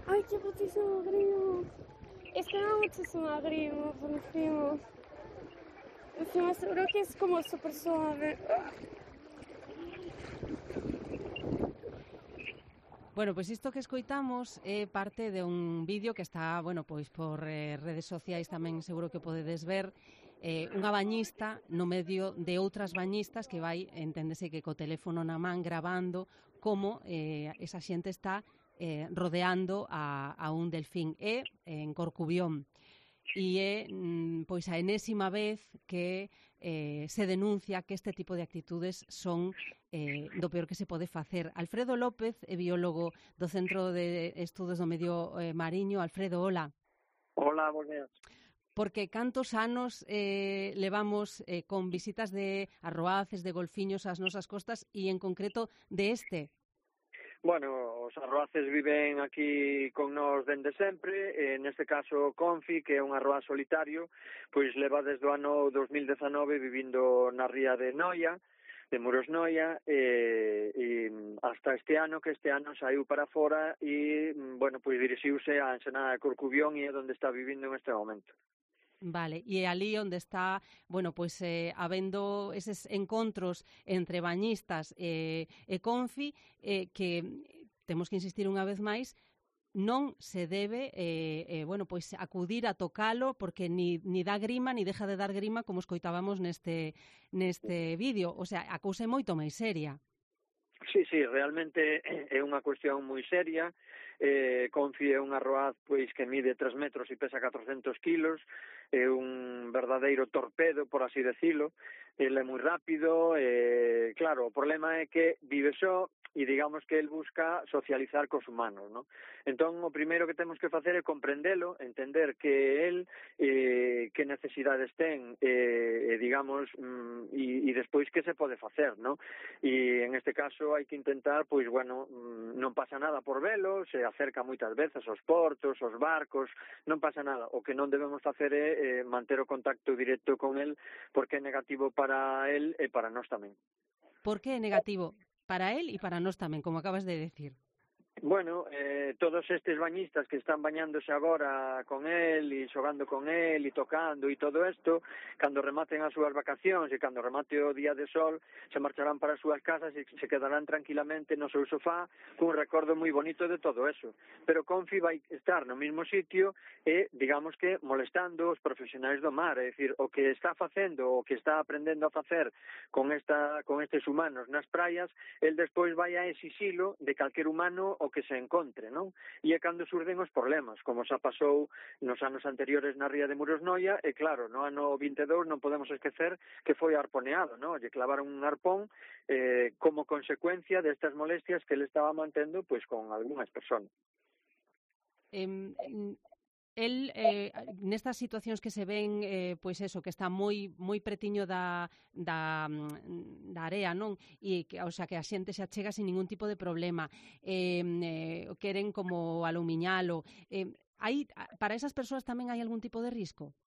Ay, qué putísimo grimo. Es que me da muchísimo grimo por encima. Encima seguro que es como súper suave. Bueno, pois isto que escoitamos é parte de un vídeo que está, bueno, pois por redes sociais tamén seguro que podedes ver, unha bañista no medio de outras bañistas que vai, enténdese que co teléfono na man gravando como esa xente está rodeando a un delfín en Corcubión. E é pois a enésima vez que se denuncia que este tipo de actitudes son do peor que se pode facer. Alfredo López é biólogo do Centro de Estudos do Medio Mariño. Alfredo, hola. Hola, bos días. Porque cantos anos levamos con visitas de arroaces, de golfiños ás nosas costas e en concreto de este? Bueno, os arroaces viven aquí con nós dende sempre, neste caso Confi, que é un arroaz solitario, pois leva desde o ano 2019 vivindo na ría de Noia, de Muros Noia, e hasta este ano, que este ano saiu para fora e, bueno, pois dirixiuse á ensenada de Corcubión e é onde está vivindo en este momento. Vale, e ali onde está, bueno, pois habendo eses encontros entre bañistas e Confi, que temos que insistir unha vez máis, non se debe, bueno, pois acudir a tocalo porque ni dá grima, ni deja de dar grima como escoitábamos neste vídeo. O sea, a cousa é moito máis seria. Sí, realmente é unha cuestión moi seria. Confi é un arroaz pois que mide 3 metros e pesa 400 kilos, é un verdadeiro torpedo, por así decirlo. Ele é moi rápido, claro, o problema é que vive só e digamos que el busca socializar cos humanos, ¿no? Entón, o primeiro que temos que facer é comprendelo, entender que el que necesidades ten, digamos, e despois que se pode facer, ¿no? E en este caso hai que intentar, pois, bueno, non pasa nada por velo, se acerca moitas veces aos portos, aos barcos, non pasa nada. O que non debemos facer é manter o contacto directo con el, porque é negativo para el e para nós tamén. Por que é negativo? Para él e para nós tamén, como acabas de decir. Bueno, todos estes bañistas que están bañándose agora con él e xogando con él e tocando e todo isto, cando rematen as súas vacacións e cando remate o día de sol, se marcharán para as súas casas e se quedarán tranquilamente no seu sofá cun recordo moi bonito de todo eso. Pero Confi vai estar no mesmo sitio e, digamos que, molestando os profesionais do mar, é dicir, o que está facendo, o que está aprendendo a facer con estes humanos nas praias, el despois vai a exixilo de calquer humano o que se encontre, non? E é cando surden os problemas, como xa pasou nos anos anteriores na ría de Muros Noia, e claro, no ano 22 non podemos esquecer que foi arponeado, non? Lle clavaron un arpón como consecuencia destas molestias que ele estaba mantendo pois con algunhas persoas. El, nestas situacións que se ven, pois eso, que está moi pretiño da area, non? E que, o sea, que a xente se achega sin ningún tipo de problema. Queren como alumiñalo. Para esas persoas tamén hai algún tipo de risco?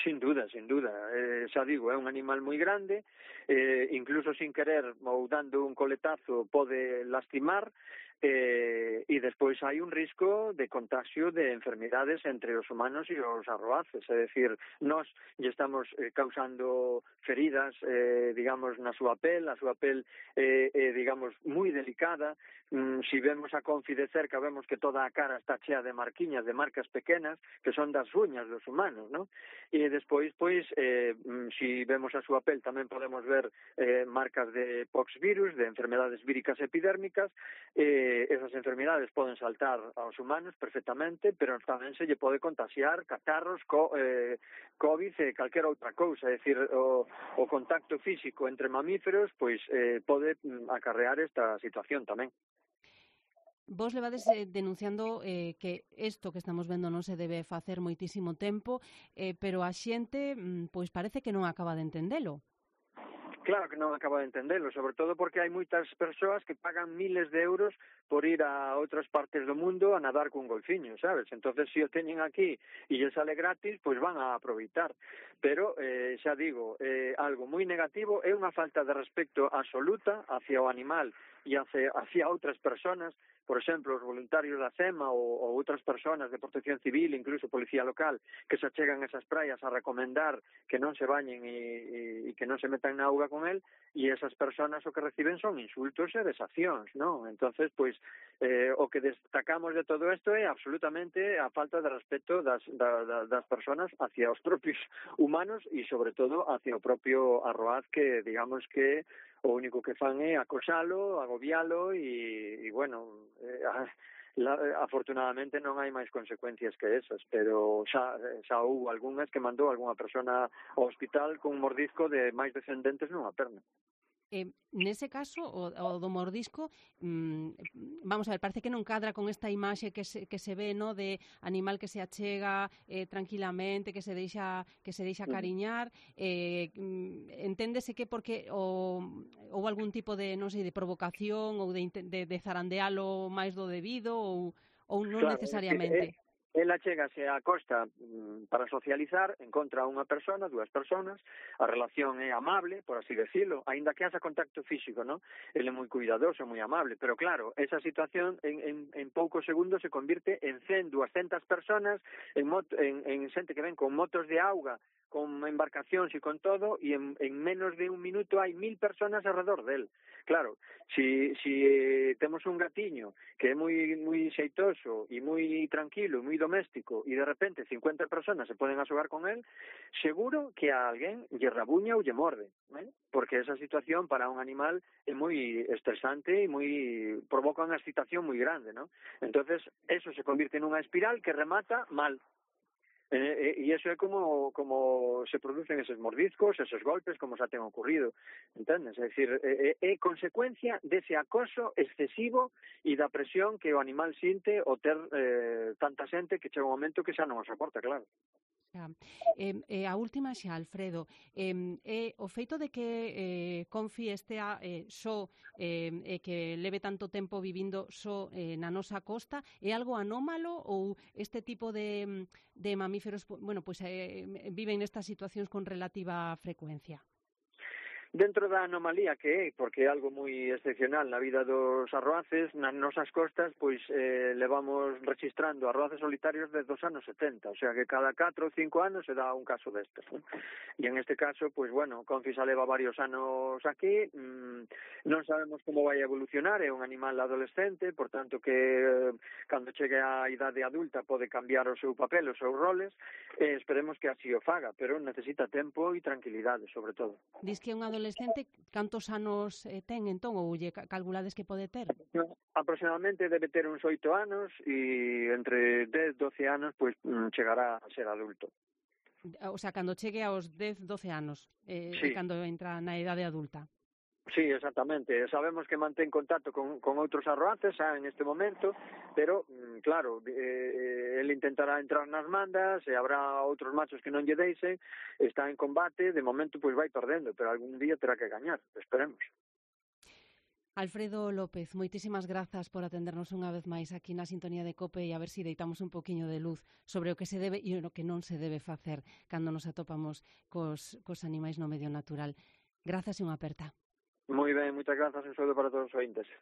Sin duda. Xa digo, é un animal moi grande, incluso sin querer ou dando un coletazo pode lastimar, e despois hai un risco de contagio de enfermidades entre os humanos e os arroaces, é dicir, nós lle estamos causando feridas, digamos, na súa pel, a súa pel digamos, moi delicada. Si vemos a Confi de cerca, vemos que toda a cara está chea de marquiñas, de marcas pequenas, que son das uñas dos humanos, non? E despois, pois, si vemos a súa pel, tamén podemos ver marcas de poxvirus, de enfermedades víricas epidérmicas. Esas enfermedades poden saltar aos humanos perfectamente, pero tamén se lle pode contagiar catarros, COVID e calquera outra cousa. É dicir, o contacto físico entre mamíferos pois pode acarrear esta situación tamén. Vos levades denunciando que isto que estamos vendo non se debe facer moitísimo tempo, pero a xente pois parece que non acaba de entendelo. Claro que non acaba de entendelo, sobre todo porque hai moitas persoas que pagan miles de euros por ir a outras partes do mundo a nadar cun golfiño, sabes? Entonces, se o teñen aquí e lle sale gratis, pois van a aproveitar. Pero, xa digo, algo moi negativo, é unha falta de respecto absoluta hacia o animal e hacia outras persoas, por exemplo, os voluntarios da CEMA ou outras persoas de protección civil, incluso policía local, que se achegan a esas praias a recomendar que non se bañen e que non se metan na auga con el, e esas persoas o que reciben son insultos e desacións, non? Entonces, pois, o que destacamos de todo isto é absolutamente a falta de respeto das persoas hacia os propios humanos e, sobre todo, hacia o propio arroaz que, digamos que o único que fan é acosalo, agobialo e bueno, afortunadamente non hai máis consecuencias que esas, pero xa houve algunhas que mandou algunha persona ao hospital con un mordisco de máis de 100 dentes nunha perna. Nese caso, o do mordisco, vamos a ver, parece que non cadra con esta imaxe que se ve, no, de animal que se achega tranquilamente, que se deixa cariñar. Enténdese que porque ou algún tipo de, non sei, de provocación ou de zarandealo máis do debido ou non necesariamente. Ela chegase á costa para socializar, encontra unha persona, dúas personas, a relación é amable, por así decirlo, aínda que haxa contacto físico, non? Ele é moi cuidadoso, moi amable, pero claro, esa situación en poucos segundos se convirte en 100, 200 personas, en xente que ven con motos de auga, con embarcacións e con todo, e en menos de un minuto hai 1000 personas alrededor del. Claro, si temos un gatiño que é moi xeitoso e moi tranquilo, moi doméstico, e de repente 50 personas se poden asogar con el, seguro que a alguén lle rabuña ou lle morde, porque esa situación para un animal é moi estresante e provoca unha excitación moi grande, non? Entonces, eso se convirte nunha espiral que remata mal. E iso é como se producen eses mordiscos, esos golpes, como xa ten ocurrido, entendes? É dicir, é consecuencia dese acoso excesivo e da presión que o animal sinte o ter tanta xente que chega un momento que xa non o soporta, claro. A última xa, Alfredo, o feito de que Confi estea só e que leve tanto tempo vivindo só na nosa costa é algo anómalo ou este tipo de mamíferos viven nestas situacións con relativa frecuencia? Dentro da anomalía que é, porque é algo moi excepcional na vida dos arroaces, nas nosas costas, pois levamos registrando arroaces solitarios desde os anos 70, o sea que cada 4 ou 5 anos se dá un caso destes, ¿no? E en este caso, pois bueno, Confi xa leva varios anos aquí, non sabemos como vai evolucionar, é un animal adolescente, por tanto que cando chegue á idade adulta pode cambiar o seu papel, os seus roles, esperemos que así o faga, pero necesita tempo e tranquilidade, sobre todo. Diz que é un adolescente, cantos anos ten entón, ou lle calculades que pode ter? Aproximadamente debe ter uns 8 anos e entre 10 e 12 anos pois chegará a ser adulto. O sea, cando chegue aos 10, 12 anos, sí. Cando entra na idade adulta. Sí, exactamente. Sabemos que mantén contacto con outros arroaces en este momento, pero, claro, ele intentará entrar nas mandas, e habrá outros machos que non lle deixen, está en combate, de momento pois vai perdendo, pero algún día terá que gañar, esperemos. Alfredo López, moitísimas grazas por atendernos unha vez máis aquí na Sintonía de COPE e a ver se deitamos un poquinho de luz sobre o que se debe e o que non se debe facer cando nos atopamos cos animais no medio natural. Grazas e unha aperta. Moi ben, moitas grazas, un saúdo para todos os ointes.